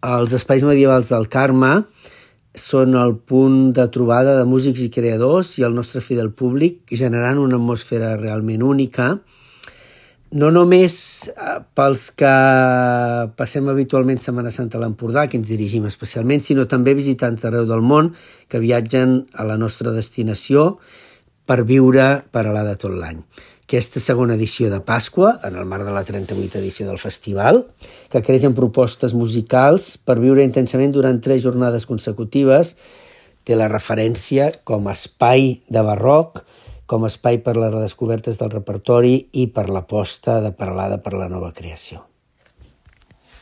Els espais medievals del Carme són el punt de trobada de músics i creadors i el nostre fidel públic, generant una atmosfera realment única, no només pels que passem habitualment Setmana Santa a l'Empordà, que ens dirigim especialment, sinó també visitants d'arreu del món que viatgen a la nostra destinació per viure Peralada tot l'any. Aquesta segona edició de Pasqua, en el marc de la 38a edició del festival, que creix en propostes musicals per viure intensament durant 3 jornades consecutives, té la referència com a espai de barroc, com a espai per les redescobertes del repertori i per l'aposta de Peralada per la nova creació.